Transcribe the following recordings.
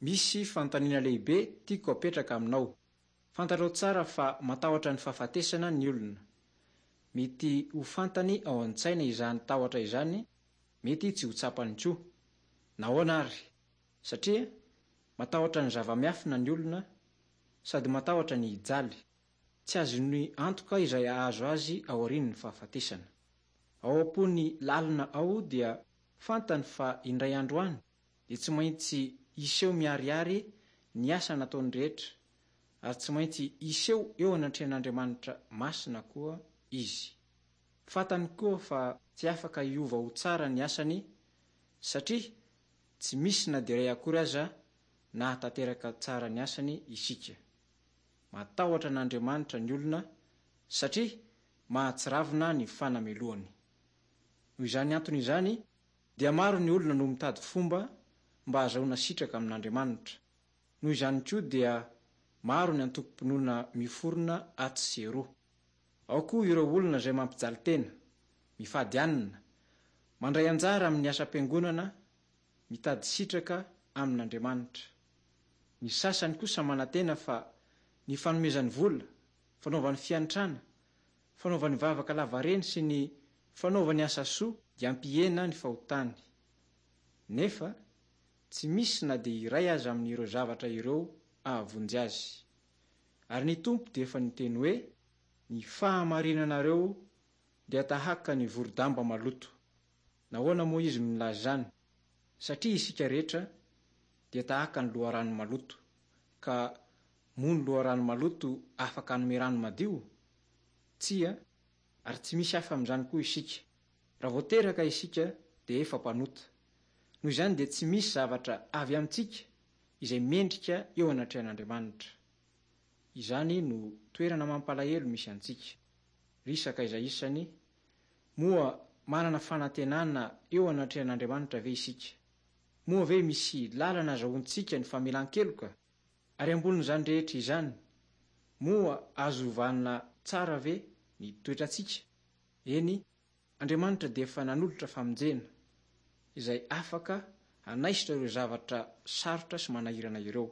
Misy fanontaniana lehibe tiako apetraka aminao. Fantatrao tsara fa matahotra ny fahafatesana ny olona. Mety ho fantany ao an-tsaina izany tahotra izany, mety tsy ho tsapany koa. Nahoana ary? Satria matahotra ny zava-miafina ny olona sady matahotra ny hijaly. Tsy azony antoka izay hahazo azy aorian'ny fahafatesana. Ao am-pony lalina ao dia fantany fa indray andro any dia tsy maintsy hiseho miharihary ny asa nataony rehetra, ary tsy maintsy hiseho eo anatrehan'Andriamanitra masina koa izy. Fantany koa fa tsy afaka hiova ho tsara ny asany satria tsy misy na dia iray akory aza nahatanteraka tsara ny asany isika. Matahotra an'Andriamanitra ny olona satria mahatsiravina ny fanamelohany. Noho izany antony izany dia maro ny olona no mitady fomba mba hahazahoana sitraka amin'Andriamanitra. Noho izany koa dia maro ny antokom-pinoana miforona atsy sy eroa. Ao koa ireo olona izay mampijaly tena, mifady hanina, mandray anjara amin'ny asam-piangonana, mitady sitraka amin'Andriamanitra. Ny sasany kosa manantena fa ny fanomezany vola, fanaovany fiantrana, fanaovany vavaka lavareny sy ny fanaovany asa soa dia hampihena ny fahotany. Nefa, tsy misy na dia iray aza amin'ireo zavatra ireo hahavonjy azy. Ary ny Tompo dia efa niteny hoe, Ny fahamarinanareo dia tahaka ny voro-damba maloto. Nahoana moa Izy no nilaza izany? Satria isika rehetra dia tahaka ny loharano maloto. Ka moa ny loharano maloto afaka hanome rano madio? Tsia, ary tsy misy hafa amin'izany koa isika. Raha vao teraka isika dia efa mpanota. Noho izany dia tsy misy zavatra avy amintsika izay mendrika eo anatrehan'Andriamanitra. Izany no toerana mampalahelo misy antsika. Ry sakaiza isany, moa manana fanantenana eo anatrehan'Andriamanitra ve isika? Moa ve misy lalana azahoantsika ny famelan-keloka? Ary ambonin'izany rehetra izany, moa azo ovana tsara ve ny toetrantsika? Eny, Andriamanitra dia efa nanolotra famonjena, izay afaka hanaisotra ireo zavatra sarotra sy manahirana ireo.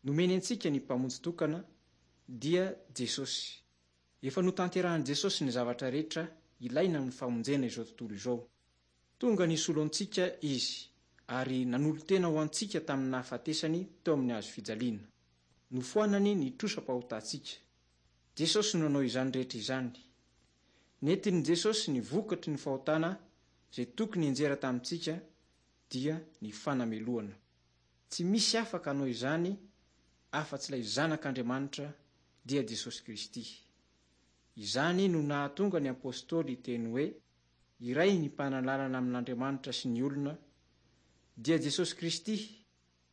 Nomeny antsika ny Mpamonjy tokana, dia Jesosy. Efa notanterahin'i Jesosy ny zavatra rehetra ilaina amin'ny famonjena izao tontolo izao. Tonga nisolo antsika Izy, ary nanolo-tena ho antsika tamin'ny nahafatesany teo amin'ny hazo fijaliana. Nofoanany ny trosam-pahotantsika. Jesosy no nanao izany rehetra izany. Nentin'i Jesosy ny vokatry ny fahotana izay tokony hianjera tamintsika, dia ny fanamelohana. Tsy misy afaka hanao izany afa-tsy ilay Zanak'Andriamanitra, dia Jesosy Kristy. Izany no nahatonga ny apostoly hiteny hoe, Iray ny mpanalalana amin'Andriamanitra sy ny olona, dia Jesosy Kristy,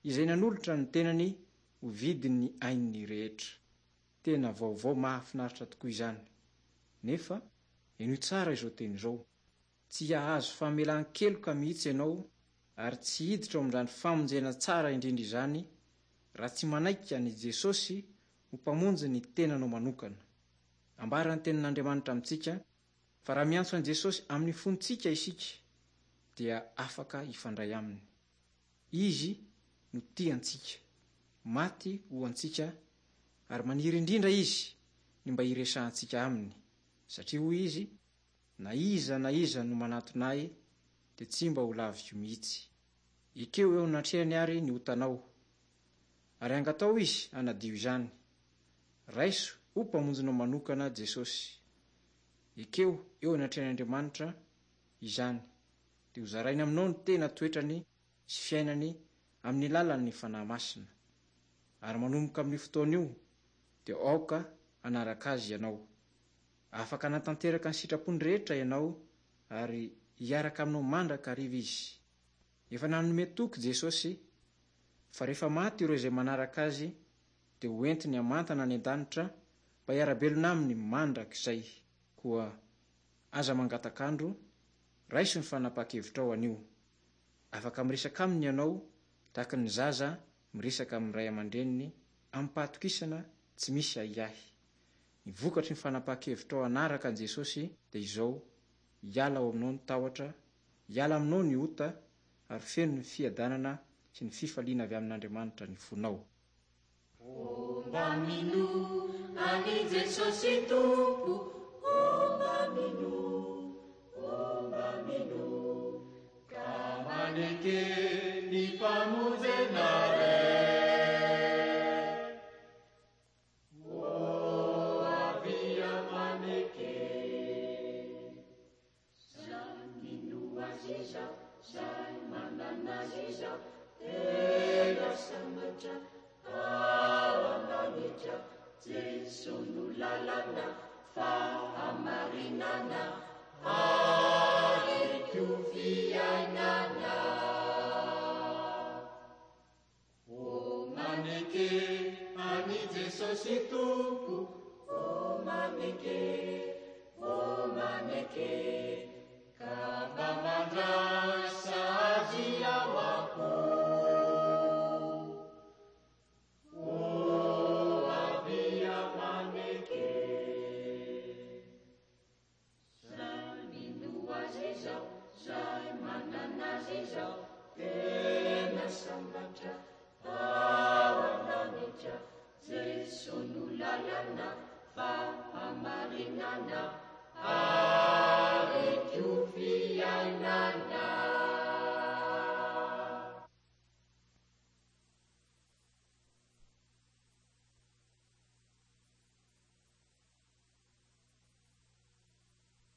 izay nanolotra ny tenany ho vidin'ny ain'ny rehetra. Tena vaovao mahafinaritra tokoa izany! Nefa, henoy tsara izao teny izao, Tsy hahazo famelan-keloka mihitsy ianao ary tsy hiditra ao amin'izany famonjena tsara indrindra izany raha tsy manaiky an'i Jesosy ho Mpamonjy ny tenanao manokana. Ambaran'ny Tenin'Andriamanitra amintsika fa raha miantso an'i Jesosy amin'ny fontsika isika dia afaka hifandray Aminy. Izy no tia antsika, maty ho antsika ary maniry indrindra Izy ny mba hiresahantsika Aminy satria hoy Izy, Na iza na iza no manatona Ahy dia tsy mba ho laviko mihitsy. Ekeo eo anatrehany àry ny otanao, ary angataho Izy hanadio izany. Raiso ho Mpamonjinao manokana Jesosy. Ekeo eo anatrehan'Andriamanitra izany, dia hozarainy aminao ny tena toetrany sy fiainany amin'ny alalan'ny Fanahy Masina. Ary manomboka amin'io fotoana io, dia aoka hanaraka Azy ianao. Afaka hanatanteraka ny sitrapony rehetra ianao ary hiaraka aminao mandrakariva Izy. Efa nanome toky Jesosy fa rehefa maty ireo izay manaraka Azy dia ho entiny hamantana any an-danitra mba hiara-belona Aminy mandrakizay. Koa aza mangatak'andro, raiso ny fanapahan-kevitrao anio. Afaka miresaka Aminy ianao tahaka ny zaza miresaka amin'ny ray aman-dreniny amim-pahatokisana tsy misy ahiahy. Ny vokatry ny fanapahan-kevitrao hanaraka an'i Jesosy dia izao, hiala ao aminao ny tahotra, hiala aminao ny ota, ary feno ny fiadanana sy ny fifaliana avy amin'Andriamanitra ny fonao. O mba minoa an'i Jesosy Tompo, o mba minoa, o mba minoa, ka maneke ny famonjena re. O avia maneke. Zay mino Azy izao, zay manana Azy izao, tena sambatra ao an-danitra. Jeso no lalana, fahamarinana, ary koa fiainana. O maneke an'i Jesosy Tompo, o maneke, o maneke, ka mba mandraisa Azy ao am-po. O avia maneke. Zay mino Azy izao, zay manana Azy izao, tena sambatra ao an-danitra. Jeso no lalana, fahamarinana,